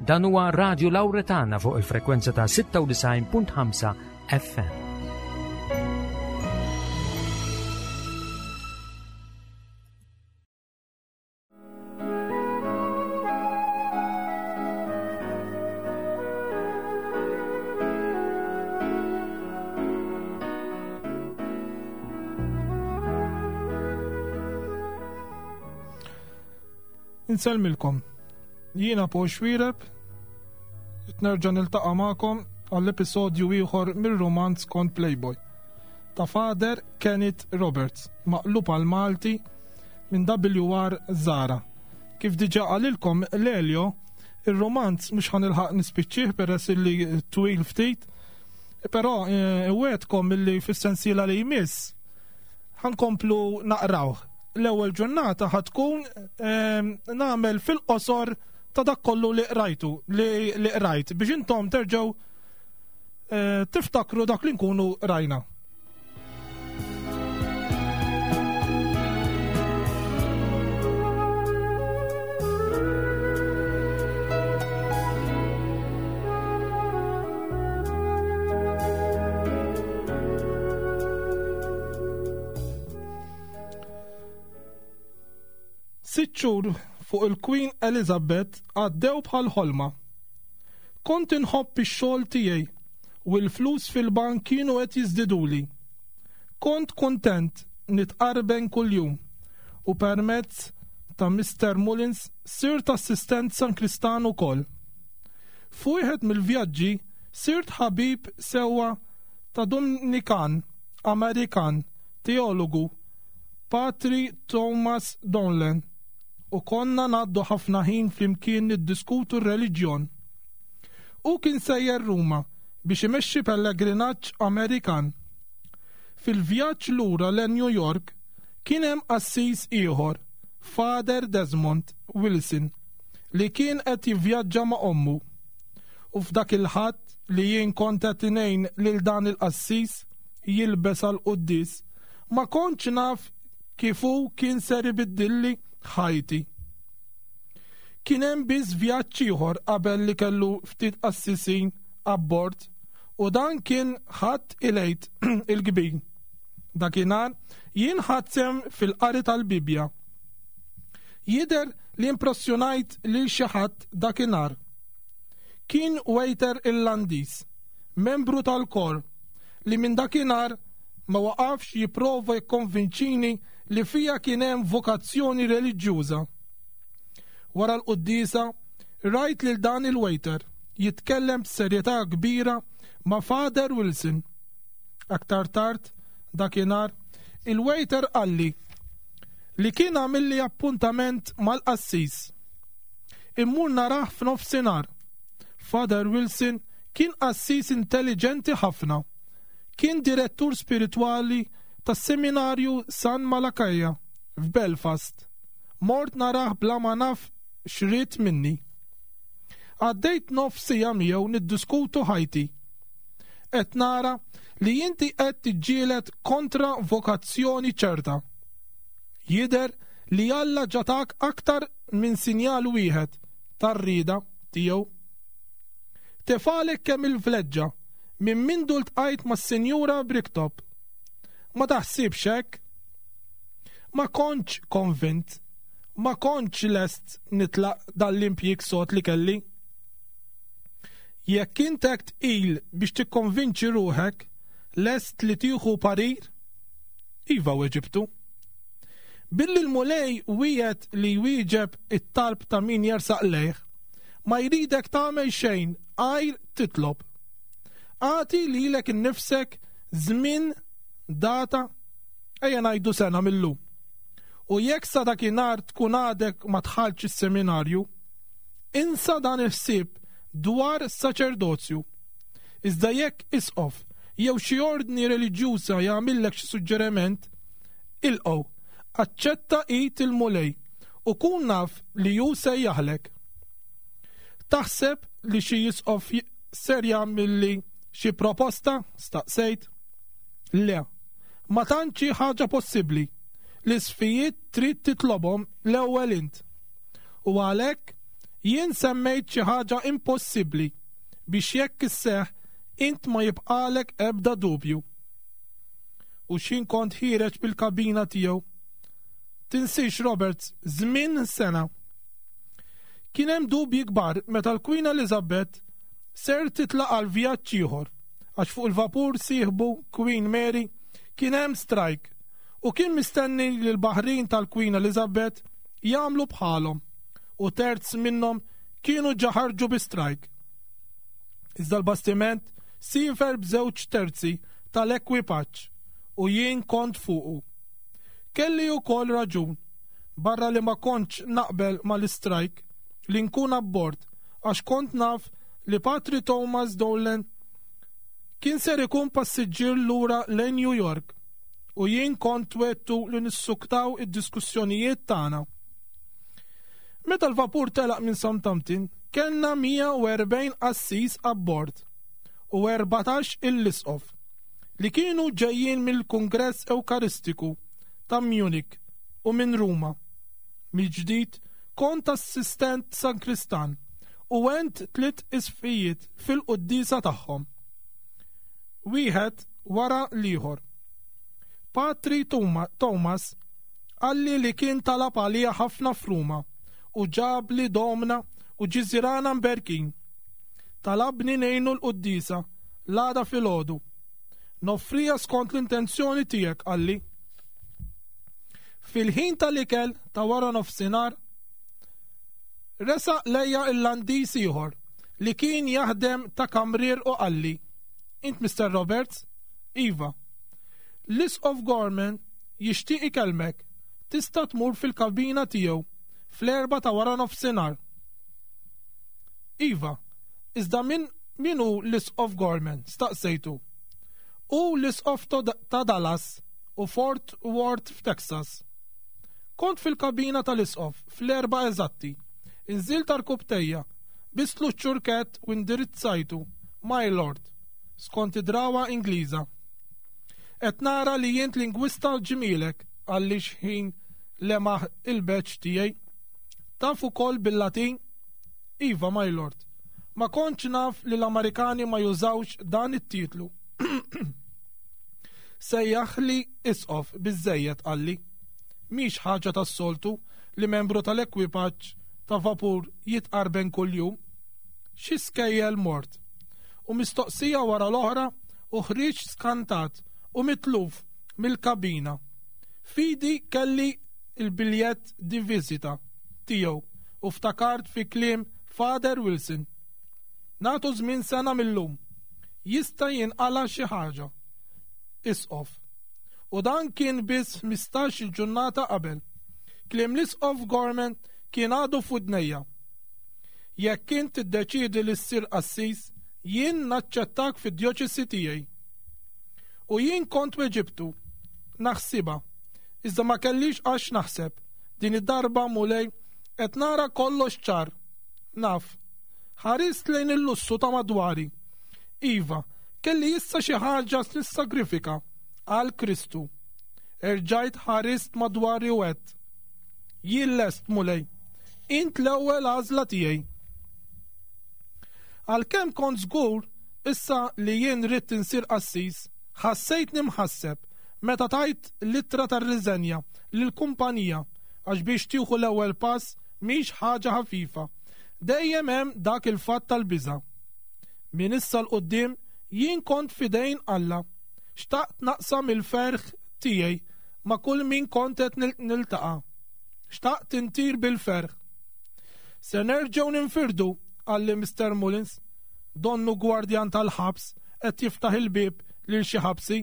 Dan huwa Radio Lauretana fuq il-frekwenza ta' 96.5 FM. Insellmilkom. Jiena Paul Xwireb, nerġa' niltaqa' magħkom għall-episodju ieħor mir-rumanz kont Playboy ta' Father Kenneth Roberts, maqlub għal Malti minn WR Zara. Kif diġà qalilkom l-Elio, ir-romanz mhux ħanilħaq nispiċċih peress illi twil ftit, però eh, wegħedkom illi fis-sensiela li jmiss ħankomplu naqrawh. L-ewwel ġurnata ħatkun eh, nagħmel fil-qosor ta' dak kollu li qrajtu, li qrajt biex intom terġgħu eh, tiftakru dak li nkunu rajna. Sitt xhur fuq il-Queen Elizabeth għaddew bħal ħolma. Kont inħobb ix-xogħol tiegħi u l-flus fil-bank kienu qed jiżdiduli. Kont kuntent nitqarben kuljum u permezz ta' Mister Mullins sirt assistent sankristan ukoll. F'wieħed mill-vjaġġi sirt ħabib sewwa ta' Dumnikan Amerikan teologu, Patri Thomas Donlan, u konna ngħaddu ħafna ħin flimkien niddiskutu r-reliġjon. Hu kien sejjer Ruma biex imexxi pellegrinaġġ Amerikan. Fil-vjaġġ lura lejn New York kien hemm qassis ieħor, Father Desmond Wilson, li kien qed jivvjaġġa ma' ommu. U f'dak il-Ħadd li jien kont qed ngħin lil dan il-qassis jilbes għall-quddies, ma kontx naf kif hu kien ser ibiddilli ħajti. Kien hemm biss vjaġġ ieħor qabel li kellu ftit qassisin abbord u dan kien Ħadd il-Għid il-Kbir. Dakinhar jien ħadt sehem fil-qari tal-Bibbja. Jidher li impressjonajt lil xi ħadd dakinhar. Kien waiter Irlandiż, membru tal-kor, li minn dakinhar ma waqafx jipprova jikkonvinċini li fija kien hemm vokazzjoni reliġjuża. Wara l-quddiesa, rajt lil dan il-waiter jitkellem b'serjetà kbira ma' Father Wilson. Aktar tard dakinhar, il-waiter qalli li kien għamilli appuntament mal-qassis. Immur narah f'nofsinhar. Father Wilson kien qassis intelliġenti ħafna. Kien direttur spiritwali tas-Seminarju San Malakija f'Belfast. Mort narah bla ma naf x'ried minni. Għaddejt nofs siegħa miegħu niddiskutu ħajti. Qed nara li inti qed tiġġieled kontra vokazzjoni ċerta. Jidher li Alla ġa tak aktar minn sinjal wieħed tar-rieda tiegħu. Tefgħalek kemm il-vleġġa minn mindu ltqajt mas-Sinjura Bricktop. Ma taħsibx hekk? Ma kontx konvint. Ma kontx lest nitlaq dan l-impjieg sod li kelli. Jekk int hekk tqil biex tikkonvinċi ruħek, lest li tieħu parir? Iva weġibtu. Billi l-Mulej wiegħed li jwieġeb it-talb ta' min jersaq lejh, ma jridek tagħmel xejn għajr titlob. Agħti lilek innifsek żmien, data, ejja ngħidu sena mil-lum. U jekk sa dakinhar tkun għadek ma dħaltx is-seminarju, insa dan il-ħsieb dwar saċerdozju. Iżda jekk isqof jew xi ordni reliġjuża jagħmillek xi suġġeriment, ilqgħu, aċċetta id il-Mulej u kun naf li hu sejjaħlek. Taħseb li xi isqof ser jagħmilli xi proposta? staqsejt. Le, ma tantx hi ħaġa possibbli. L-isfijiet trid titlobhom l-ewwel int. U għalhekk, Jien semmejt xi ħaġa impossibbli biex jekk isseħħ int ma jibqagħlek ebda dubju. U x'ħin kont ħiereġ bil-kabina tiegħu. Tinsiex Roberts, żmien sena. Kien hemm dubji kbar meta l-Queen Elizabeth ser titlaq għal vjaġġ ieħor għax fuq il-vapur sieħbu Queen Mary kien hemm strajk u kien mistenni li l-baħrin tal-Queen Elizabeth jagħmlu bħalhom u terz minnhom kienu ġa ħarġu bi strajk. Iżda l-bastiment siefer b'żewġ terzi tal-ekwipaġġ u jien kont fuqu. Kelli wkoll raġun, barra li ma kontx naqbel mal-istrajk, li nkun abbord għax kont naf li Patri Thomas Dolan kien ser ikun passiġġier lura lejn New York u jien kont wegħdtu li nissuktaw id-diskussjonijiet tagħna. Meta l-vapur telaq minn Southampton, kellna 140 qassis abbord u 14 il-isqof li kienu ġejjin mill-Kungress Ewkaristiku ta' Munich u minn Ruma. Mill-ġdid kont assistent sankristan u għent tliet isqfijiet fil-quddiesa tagħhom. Wieħed wara l-ieħor. Patri Thomas Qalli li kien talab għalija ħafna f'Ruma u ġabli domna u ġiżirana mberkin. Talabni ngħinu l-quddiesa l-għada filgħodu. Noffriha skont l-intenzjoni tiegħek, qalli. Fil-ħin tal-ikel ta' wara nofsinhar, resaq lejja Irlandiż ieħor li kien jaħdem ta' kamrier u qalli, Int Mister Roberts? Iva. L-Isqof Gorman jixtieq ikellmek, tista' tmur fil-kabina tiegħu fl-erbgħa ta' wara nofsinhar. Iva, iżda min min hu l-Isqof Gorman? staqsejtu. Hu l-Isqof ta' Dallas u Fort Worth f'Texas. Kont fil-kabina tal-Isqof fl-erbgħa eżatti. Inżilt għarkupptejja, bistlu ċ-ċurkett u indirizzajtu, My Lord, skont id-drawwa Ingliża. Qed nara li int lingwista ġmielek, qalli xħin lemaħ il-badge tiegħi. Taf ukoll bil-Latin? Iva, my lord. Ma kontx naf li l-Amerikani ma jużawx dan it-titlu. Sejjaħli isqof biżżejjed, qalli. Mhix ħaġa tas-soltu li membru tal-ekwipaġġ ta' vapur jitqarben kuljum. Xi skejjel mort. U mistoqsija wara l-oħra u ħriġt skantat u mitluf mill-kabina. F'idi kelli l-biljett di visita tiegħu u ftakart fi kliem Father Wilson. Nagħtu żmien sena mil-lum. Jista' jinqala' xi ħaġa. Isqof. U dan kien biss 15-il ġurnata qabel. Kliem l-Isqof Gorman kien għadu f'widnejja. Jekk int tiddeċiedi li ssir qassis, jien naċċettak fid-djoċesi tiegħi. U jien kont weġibtu, Naħsibha. Iżda ma kellix għax naħseb. Din id-darba, Mulej, qed nara kollox ċar. Naf. Ħarist lejn il-lussu ta' madwari. Iva, kelli issa xi ħaġa nissagrifika għal Kristu. Erġajt ħarist madwari u għedt, Jien lest, Mulej. Int l-ewwel għażla tiegħi. Għalkemm kont żgur issa li jien ridt insir qassis, ħassejtni mħasseb meta tajt l-ittra tar-riżenja lill-kumpanija għax biex tieħu l-ewwel pass mhix ħaġa ħafifa. Dejjem hemm dak il-fatt tal-biża'. Minn issa 'l quddiem jien kont f'idejn Alla. Xtaqt naqsam il-ferħ tiegħi ma' kull min kont qed niltaqa'. Xtaqt intir bil-ferħ. Se nerġgħu ninfirdu, qalli Mister Mullins, donnu gwardjan tal-ħabs qed jiftaħ il-bieb lil xi ħabsi.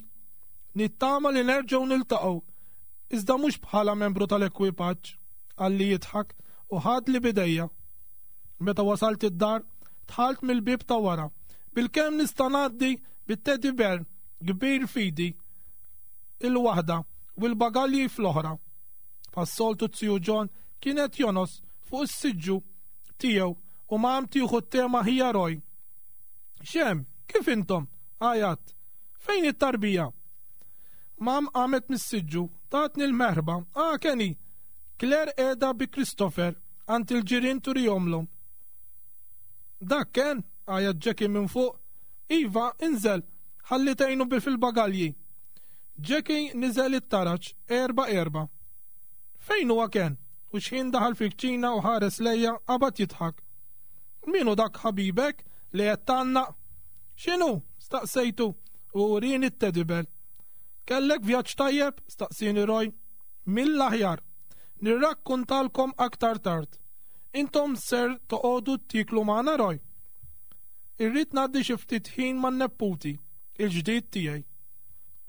Nittama li nerġgħu niltaqgħu, iżda mhux bħala membru tal-ekwipaġġ, qalli jidħak u ħadli b'idejja. Meta wasalt id-dar, dħalt mill-bieb ta' wara. Bilkemm nista' ngħaddi bit-teddy bear kbir f'idi il-waħda u l-bagalji fl-oħra. Bħas-soltu z-ziju John kien qed jonos fuq is-siġġu tiegħu u mam tieħu t-te ma' ħija Roy. X'hemm? Kif intom? għajjatt. Fejn hi t-tarbija? Mam qamet mis-siġġu, tatni l-merħba. Ah, Kenny! Claire qiegħda bi Christopher għand il-ġirien turihomlhom. Dak Ken? għajat Jackie minn fuq. Iva, inżel, ħalli tgħinu bi fil-bagalji. Jackie niżel it-taraġ erba' erba'. Fejn huwa Ken? U xħin daħal fil-kċina u ħares lejja qabad jidħak. Min hu dak ħabibek li qed tgħannaq? X'inhu? staqsejtu u urieni t-teddy bear. Kellek vjaġġ tajjeb? staqsieni Roy. Mill-aħjar. Nirrakkuntalkom aktar tard. Intom ser toqogħdu tieklu magħna Roy? Irrid ngħaddi xi ftit ħin man-nepputi, il-ġdid tiegħi.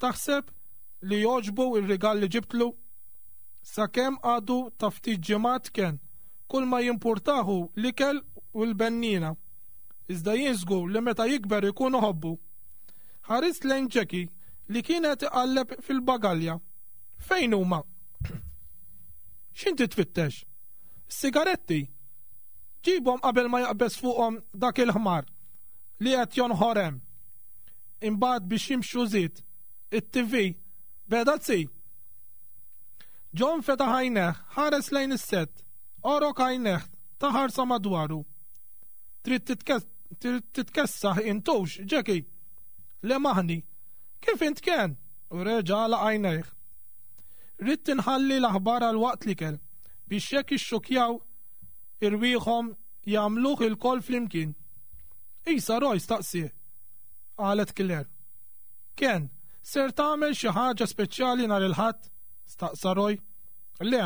Taħseb li jogħġbu r-rigal li ġibtlu? Sakemm għadu ta' ftit ġimgħat Ken, kull ma jimpurtah hu l-ikel u l-benniena. Iżda jien żgur li meta jikber ikun iħobbu. Ħarist lejn Jackie li kien qed iqalleb fil-bagalja. Fejn huma? X'inti tfittex? Is-sigaretti! Ġibhom qabel ma jaqbeż fuqhom dak il-ħmar li qed jonħor hemm. Imbagħad biex jimxu żied it-TV beda tsi. John fetaħ għajnejh, ħares lejn is-sett, għorok għajnejh ta' ħarsa madwaru. Trid titkessaħ intux, Jackie? Le maħni. Kif int Ken? U reġa' għalaq għajnejh. Ridt inħalli l-aħbar għal waqt l-ikel biex jekk ixxukkjaw irwieħhom jagħmluh ilkoll flimkien. Isa Roy staqsieh, qalet Claire. Ken, ser tagħmel xi ħaġa speċjali nhar il-Ħadd? staqsa Roy. Le,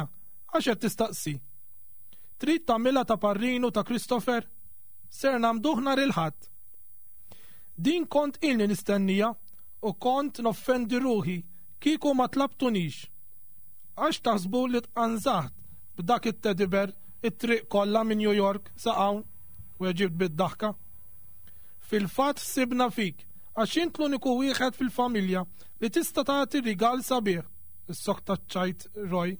għax qed tistaqsi? Trid tagħmilha ta' parrinu ta' Christopher? Ser nagħmduh nhar il-Ħadd. Din kont ilni nistennija u kont noffendi ruħi kieku ma tlabtunix. Għax taħsbu li tqanżaħt b'dak it-teddy bear it-triq kollha minn New York sa hawn? Weġibt bid-daħka. Fil-fatt ħsibna fik għax int l-uniku wieħed fil-familja li tista' tagħti rigal sabiħ, issokta ċ-ċajt Roy.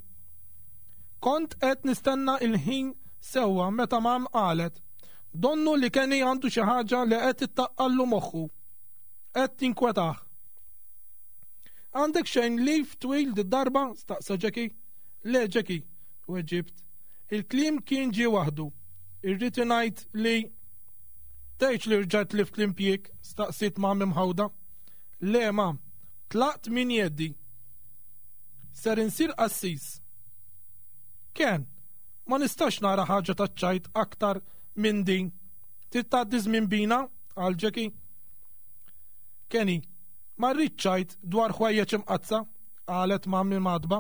Kont qed nistenna l-ħin sewwa meta Mom qalet, Donnu li Kenny għandu xi ħaġa li qed ittaqqallu moħħu. Qed tinkwetah. Għandek xejn leave twil did-darba? staqsa Jackie. Le, Jackie, weġibt. Il-kliem kien ġie waħdu. Irrid ingħid li Tgħidx li rġajt tlift l-impjieg? staqsiet Mom imħawda. Le, Mom, tlaqt minn jeddi. Ser insir qassis. Ken, ma nistax nara ħaġa taċ-ċajt aktar minn din. Trid tgħaddi żmien bina? qal Jackie. Kenny, Ma rridx ċajt dwar ħwejjeġ imqaddsa, qalet Mam imgħaddba.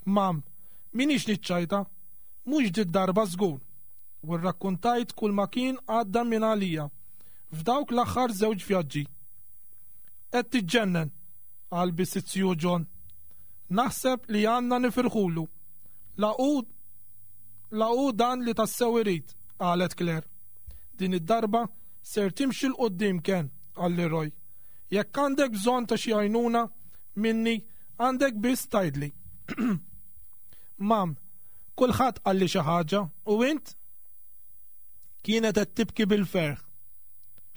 Mam, m'iniex niċċajta. Mhux did-darba żgur. U rrakkuntajt kulma kien għadda minn għalija f'dawk l-aħħar żewġ vjaġġi. Qed tiġġennen, qal biss iz-zju John. Naħseb li għandna nifirħulu. La hu la hu dan li tassew irid, qalet Claire. Din id-darba ser timxi 'l quddiem Ken, qalli Roy. Jekk għandek bżonn ta' xi għajnuna minni, għandek biss tgħidli. Mam, kulħadd qalli xi ħaġa, u int? Kienet qed tibki bil-ferħ.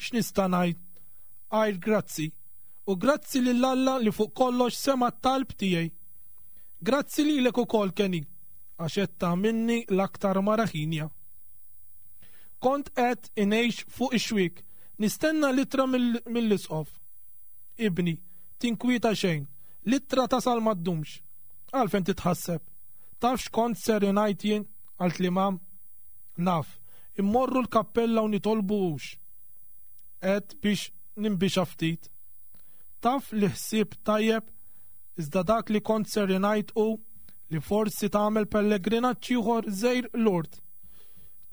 X'nista' ngħid? Għajr grazzi. U grazzi lil Alla li fuq kollox sema' t-talb tiegħi. Grazzi lilek ukoll, Kenny, għax qed tagħmilni l-aktar mara ħienja. Kont qed ingħix fuq ix-xwiek, nistenna l-ittra mill-Isqof. Ibni, tinkwieta xejn, l-ittra tasal ma ddumx. Għalfejn titħasseb? Taf x'kont ser ingħid jien? qaltli Mam. Naf, immorru l-kappella u nitolbu hux. Għedt biex ninbixha ftit. Taf li ħsieb tajjeb, iżda dak li kont ser ingħid hu li forsi tagħmel pellegrinaġġ ieħor żgħir Lourdes.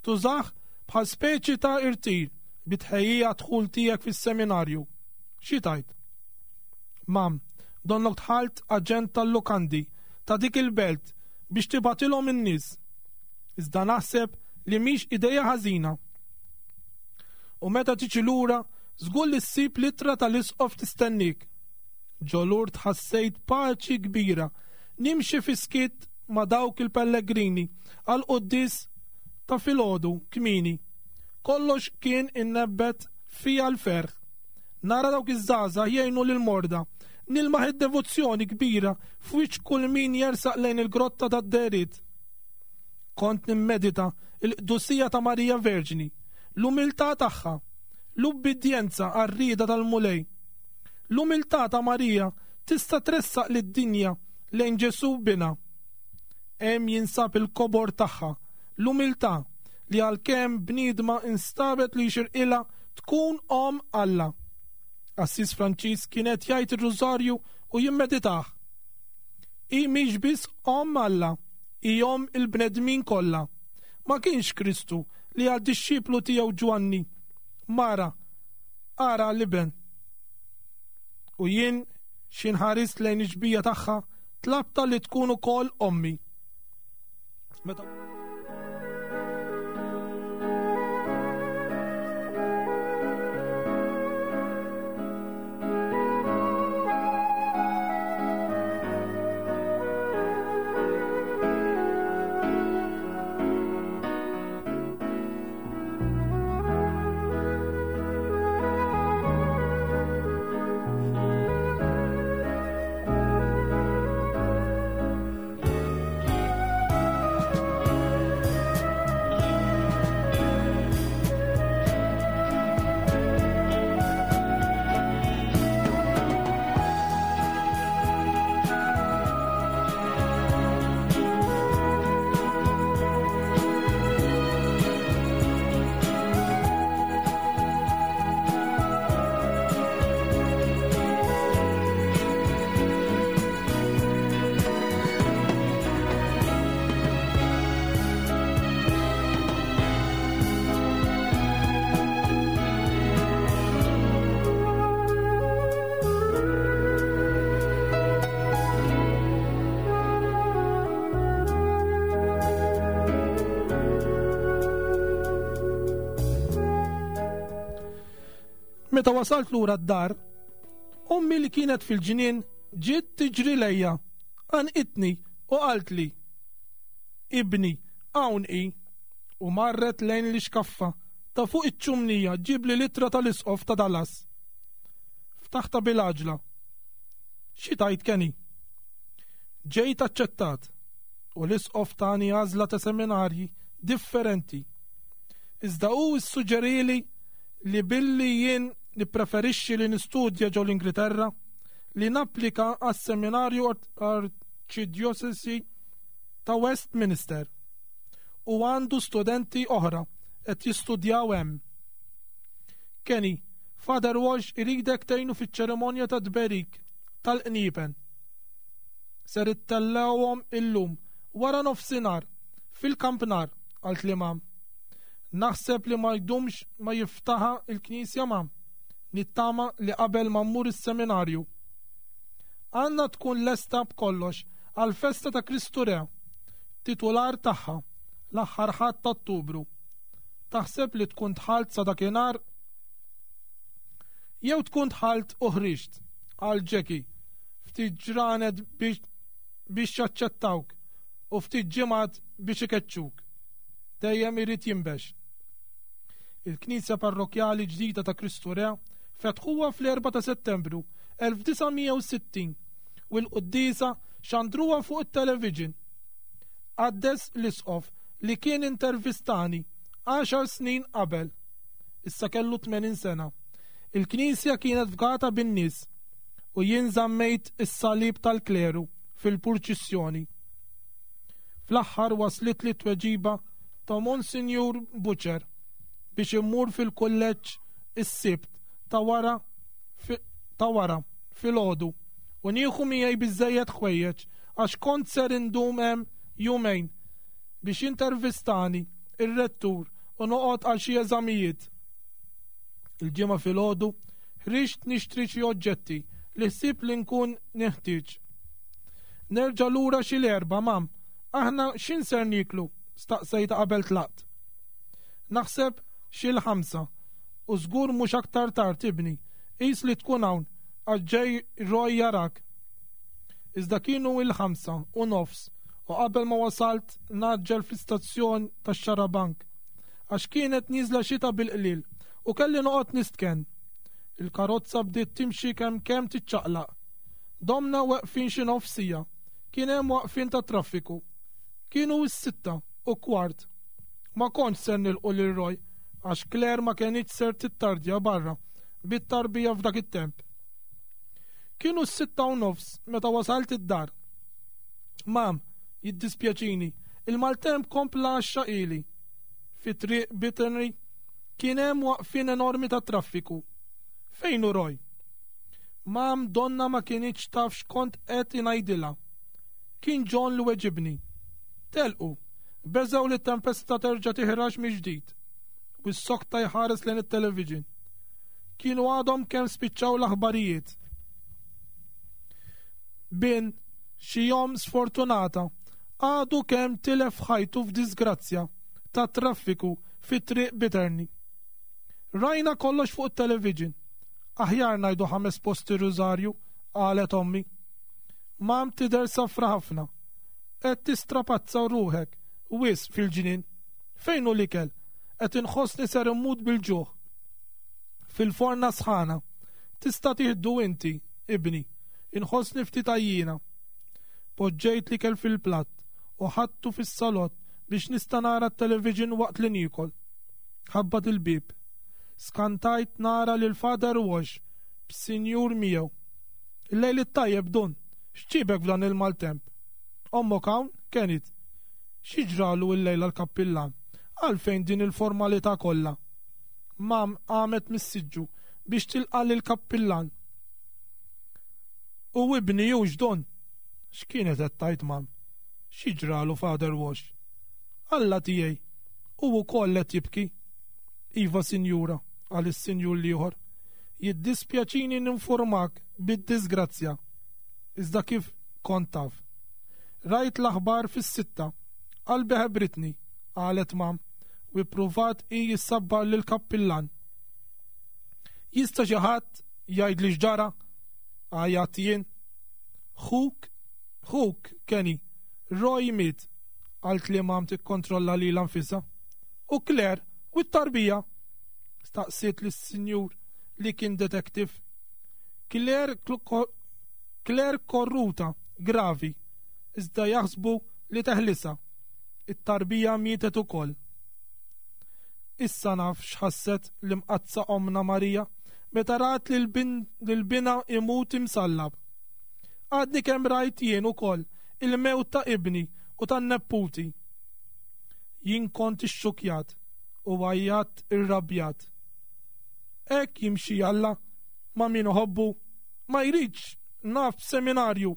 Tużah bħal speċi ta' irtir bi tħejjija għad-dħul tiegħek fis-seminarju. Xi tgħid? Mam, donnok dħalt aġent tal-lukandi ta' dik il-belt biex tibgħatilhom in-nies. Iżda naħseb li mhix ideja ħażina. U meta tiġi lura, żgur li ssib l-ittra tal-isqof tistenniek. Ġo Lourdes ħassejt paċi kbira nimxi fis-skiet ma' dawk il-pellegrini għall-quddies ta' filgħodu kmieni. Kollox kien innebbet fija l-ferħ. Nara dawk iż-żgħażagħ jgħinu lill-morda, nilmaħ id-devozzjoni kbira f'wiċċ kull min jersaq lejn il-grotta tad-dehriet. Kont nimmedita l-qdusija ta' Marija Verġni. L-umiltà tagħha, l-ubbidjenza għar-rieda tal-Mulej. L-umiltà ta' Marija tista' tressaq lid-dinja lejn Ġesù binha. Hemm jinsab il-kobor tagħha, l-umiltà li għalkemm bniedma instabet li jixirqilha tkun omm Alla. Qassis Franċiż kien qed jgħid ir-Rużarju u jimmeditah. Hi mhix biss omm Alla, hi omm il-bnedmin kollha. Ma kienx Kristu li għad-dixxiplu tiegħu Ġwanni, Mara, ara l-iben. U jien xi nħarist lejn ix-xbija tagħha tlabtha li tkun ukoll ommi. Meta Meta wasalt lura d-dar, ommi li kienet fil-ġnien ġiet tiġri lejja, għanqitni u qaltli, Ibni, hawn hi, u marret lejn l-ixkaffa ta' fuq iċ-ċumnija ġġibli l-ittra tal-Isqof ta' Dallas. Ftaħtha bil-għaġla. Xi tgħid Kenny? Ġejt aċċettat u l-Isqof tani għażla ta' seminarji differenti. Iżda hu ssuġġerieli li billi jien nippreferixxi li nistudja ġo l-Ingliterra, li napplika għas-Seminarju Arċidjosesi ta' Westminster u għandu studenti oħra qed jistudjaw hemm. Kenny, Father Walsh iridek tgħinu fiċ-ċerimonja tat-tberik tal-qniepen. Ser ittellgħuhom illum wara nofsinhar fil-kampnar, qaltli Mam. Naħseb li ma jdumx ma jiftaħha l-knisja Mam. Nittama li qabel ma mmur is-seminarju. Għandna tkun lesta b'kollox għall-festa ta' Kristu Re, titular tagħha, l-aħħar Ħadd ta' Ottubru. Taħseb li tkun dħalt sa dakinhar? Jew tkun dħalt u ħriġt, qal Jackie, ftit ġranet biex biex jaċċettawk u ftit ġimgħat biex ikeċċuk. Dejjem irid jinbex. Il-Knisja Parrokkjali ġdida ta' Kristu Re fetħuha fl-4 ta' Settembru 1960 u l-quddiesa xandruha fuq it-television. Qaddes l-isqof li kien intervistani għaxar snin qabel. Issa kellu 80 sena. Il-knisja kienet fgata bin-nies u jien żammejt is-salib tal-kleru fil-purċissjoni. Fl-aħħar waslitli t-tweġiba ta' Monsinjur Butcher biex immur fil-kulleġġ is-Sibt ta' wara ta' wara filgħodu u nieħu miegħi biżżejjed ħwejjeġ għax kont ser indum hemm jumejn biex jintervistani r-rettur u noqgħod għal xi eżamijiet. Il-Ġimgħa filgħodu ħriġt nixtri xi oġġetti li ħsibt li nkun neħtieġ. Nerġa' lura xi l-Erbgħa, Mam, aħna x'in ser nieklu? staqsejtha qabel tlaqt. Naħseb xi l-ħamsa, u żgur mhux aktar tard, ibni, qis li tkun hawn għax ġej Roy jarak. Iżda kienu il-9:30 u qabel ma wasalt ngħaġġel fl-istazzjon tax-xarabank għax kienet nieżla xita bil-qliel u kelli noqgħod nistkenn. Il-karozza bdiet timxi kemm kemm tiċċaqlaq. Domna weqfin xi nofs siegħa. Kien hemm waqfien tat-traffiku. Kienu s-15:15. Ma kontx ser nilqu lil Roy. għax Claire ma kenitx ser tittardja barra bit-tarbija f'dak it-temp. Kienu s-6:30 meta wasalt id-dar. Mam, jiddispjaċini, il-maltemp kompla għaxxaqili. Fi triq Bitterny kien hemm waqfien enormi ta' traffiku. Fejn hu Roy? Mam donna ma kinitx taf x'kont qed ingħidilha. Kien John li weġibni. Telqu. Beżgħu li t-tempesta terġa' tiħrax mill-ġdid. U ssokta jħares lejn it-television. Kienu għadhom kemm spiċċaw l-aħbarijiet. Bin xi omm sfortunata għadu kemm tilef ħajtu f'disgrazzja ta' traffiku fi triq Bitterny. Rajna kollox fuq it-television. Aħjar ngħidu ħames posti rużarju, qalet ommi. Mam tidher safra ħafna. Qed tistrapazza ruħek wisq fil-ġnien. Fejn hu l-ikel? Qed inħossni ser immut bil-ġuħ. Fil-forna sħana. Tista' tieħdu inti, ibni. Inħossni ftit għajjiena. Poġġejt l-ikel fil-platt u ħadtu fis-salott biex nista' nara t-television waqt li niekol. Ħabbat il-bieb. Skantajt nara lil Father Walsh b'sinjur miegħu. Il-lejl it-tajjeb, Dun. X'ġiebek f'dan il-maltemp? Ommok hawn, Kenneth? Xi ġralu illejla l-kappillan? Għalfejn din il-formalità kollha? Mam qamet mis-siġġu biex tilqa' lill-kappillan. U ibni hux, Dun? X'kienet qed tgħid Mam? Xi ġralu Father Walsh? Alla tiegħi! Hu wkoll qed jibki. Iva, sinjura, qal is-sinjur l-ieħor. Jiddispjaċini ninfurmak bid-diżgrazzja. Iżda kif kont taf? Rajt l-aħbar fis-sitta. Qalbi ħebritni, qalet Mam, u ippruvat hi issabbar lill-kappillan. Jista' xi ħadd jgħidli x'ġara? Għajjatt jien. Ħuk, ħuk, Kenny, Roy miet, qaltli Mam tikkontrolla lilha nfisha. U Claire, u t-tarbija? Staqsiet lis-sinjur li kien detective. Claire Claire korruta, gravi, iżda jaħsbu li teħlisha. It-tarbija mietet ukoll. Issa naf x'ħasset l-Imqaddsa Ommna Marija meta rat lil binha imut imsallab. Għadni kemm rajt jien ukoll il-mewt ta' ibni u tan-nepputi. Jien kont ixxukkjat u għajjatt irrabjat. Hekk jimxi Alla ma' min iħobbu? Ma jridx naf b'seminarju,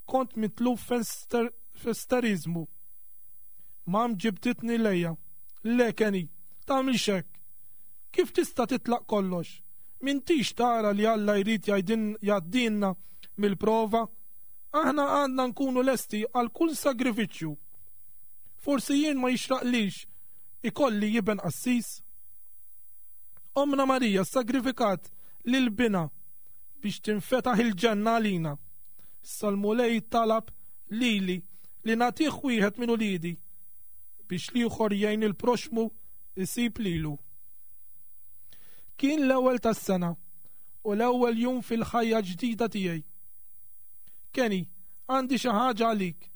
kont mitluf f'esteriżmu. Mom ġibditni lejha. Le, Kenny, tagħmilx hekk. Kif tista' titlaq kollox? M'intix tara li Alla jrid jgħaddilna mill-prova? Aħna għandna nkunu lesti għal kull sagrifiċċju. Forsi jien ma jixraqlix ikolli iben qassis? Ommna Marija ssagrifikat lil binha biex tinfetaħ il-ġenna għalina. Issa l-Mulej talab lili li nagħtih wieħed minn uliedi biex l-ieħor jgħin il-proxxmu jsib lilu. Kien l-ewwel tas-sena u l-ewwel jum fil-ħajja ġdida tiegħi. Kenny, għandi xi ħaġa għalik.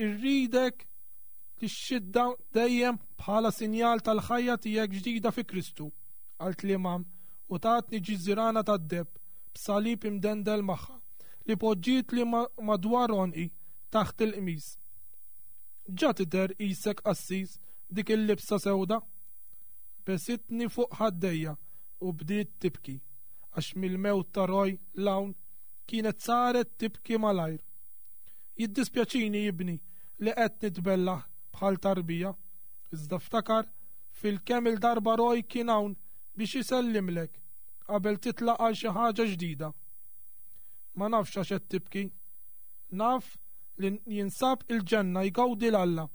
Irridek tixxidda dejjem bħala sinjal tal-ħajja tiegħek ġdida fi Kristu, qaltli Mam u tatni ġiżirana tad-deheb b'salib imdendel magħha li poġġietli madwar għonqi taħt il-qmis. Ġa tidher qisek qassis b'dik il-libsa sewda. Besitni fuq ħaddejja u bdiet tibki għax mill-mewt ta' Roy 'l hawn kienet saret tibki malajr. Jiddispjaċini ibni li qed nitbellah bħal tarbija, iżda ftakar fil-kemm-il darba Roy kien hawn biex isellimlek qabel titlaq għal xi ħaġa ġdida. Ma nafx għax qed tibki. Naf li jinsab il-ġenna jgawdi 'l Alla.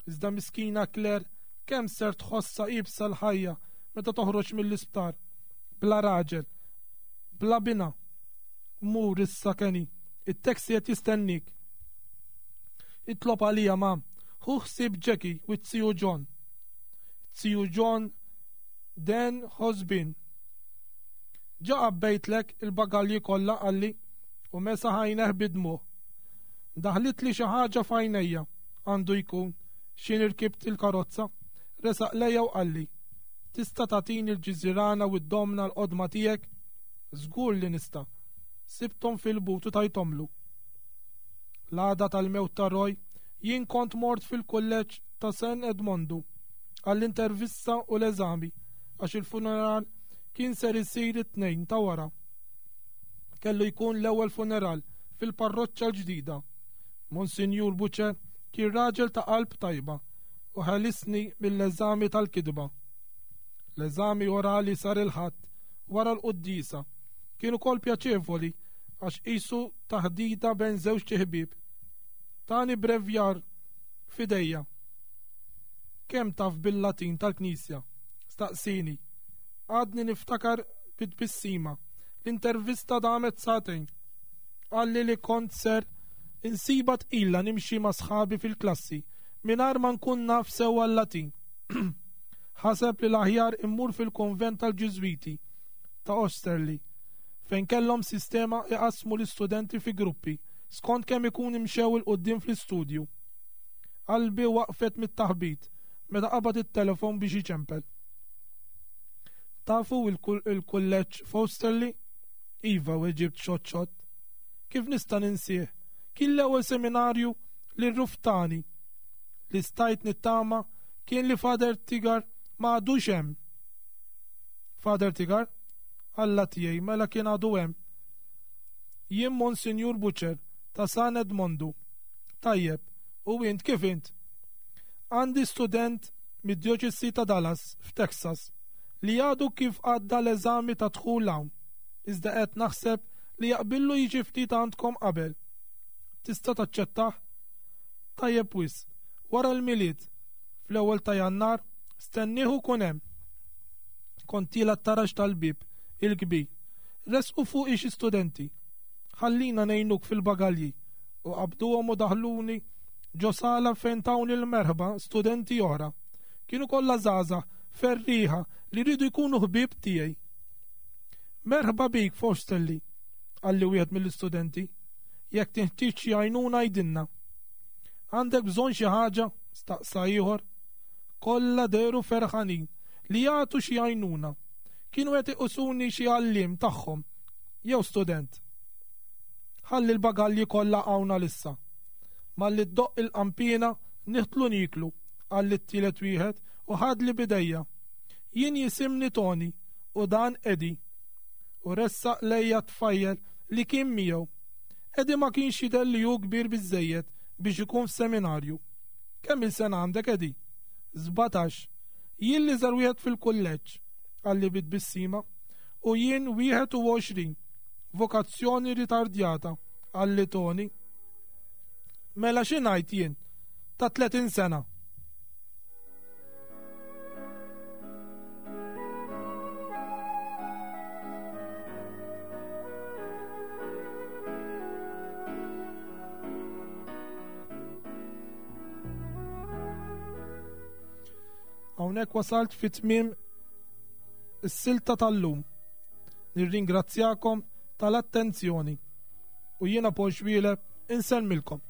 Iżda miskina Claire kemm ser tħossha iebsa l-ħajja meta toħroġ mill-isptar bla raġel, bla binha. Mur issa Kenny, it-taxi qed jistennik. Itlob għalija ma, ħu ħsieb Jackie u t-tiju John. Tiju John Den Hosbin. Ġa għabbejtlek il-bagalji kollha qalli u mesaħ għajnejh bid-dmugħ. Daħlitli xi ħaġa f'għajnejja, għandu jkun, x'ħin irkibt il-karozza. Resaq lejja u qalli. Tista' tagħtini l-ġiżirana u d-domna l-qodma tiegħek? Żgur li nista'. Sibthom fil-but u tajthomlu. L-għada tal-mewt ta' Roy, jien kont mort fil-kulleġġ ta' San Edmondu għall-intervista u l-eżami għax il-funeral kien ser isir it-Tnejn ta' wara. Kellu jkun l-ewwel funeral fil-parroċċa l-ġdida. Monsinjur Buċe kien raġel ta' qalb tajba u ħelisni mill-eżami tal-kitba. L-eżami orali sar il-Ħadd wara l-quddiesa. Kien ukoll pjaċevoli għax qisu taħdita bejn żewġt iħbieb. Tani brevjar f'idejja. Kemm taf bil-Latin tal-Knisja? Staqsieni. Għadni niftakar bi tbissima. L-intervista damet sagħtejn. Qalli li kont ser insibha tqila nimxi ma' sħabi fil-klassi mingħajr ma nkun naf sewwa l-Latin. Ħaseb li l-aħjar immur fil-kunvent tal-Ġiżwiti ta' Osterley, fejn kellhom sistema iqassmu l-istudenti fi gruppi skont kemm ikun imxew 'il quddiem fl-istudju. Qalbi waqfet mit-taħbit meta qabad it-telefon biex iċempel. Tafu il-kulleġġ f'Osterley? Iva, weġibt xott xott. Kif nista' ninsieh? Kien l-ewwel seminarju li rruftani. Li stajt nittama kien li Father Tigar ma għadux hemm. Father Tigar? Alla tiegħi, mela kien għadu hemm. Jien Monsinjur Butcher ta' San Edmondu. Tajjeb, u int kif int? Għandi student mid-djoċesi ta' Dallas, f'Texas, li għadu kif għadda l-eżami ta' dħul hawn, iżda qed naħseb li jaqbillu jiġi ftit għandkom qabel. Tista' taċċettah? Tajjeb wisq. Wara l-Milied, fl-ewwel ta' Jannar, stennieh u kun hemm. Kont tiela' t-taraġ tal-bieb il-kbir. Resqu fuqi xi studenti. Ħallina ngħinuk fil-bagalji u qabduhom u daħluni ġo sala fejn tawni l-merħba studenti oħra. Kienu kollha żgħażagħ ferrieħa li riedu jkunu ħbieb tiegħi. Merħba bik Fosterly, qalli wieħed mill-istudenti. Jekk tinħtieġ xi għajnuna għidilna. Għandek bżonn xi ħaġa? staqsa ieħor. Kollha dehru ferħanin li jagħtu xi għajnuna. Kienu qed iqisuni xi għalliem tagħhom jew student. Ħalli l-bagalji kollha hawn għalissa. Malli ddoqq il-qanpiena nidħlu nieklu, qalli t-tielet wieħed u ħadli b'idejja. Jien jisimni Tony u dan Eddie. U ressaq lejja t-tfajjel li kien miegħu. Eddie ma kienx jidher li hu kbir biżżejjed biex ikun f'seminarju. Kemm-il sena għandek Eddie? 17. Jien l-iżgħar wieħed fil-kulleġġ, qalli bi tbissima. U jien 21. Vokazzjoni ritardjata, qalli Tony. Mela xi ngħid jien? Ta' 30 sena. Hawnhekk wasalt fi tmiem is-silta tal-lum. Nirringrazzjakom tal-attenzjoni u jiena Paul Xwieleb insellmilkom.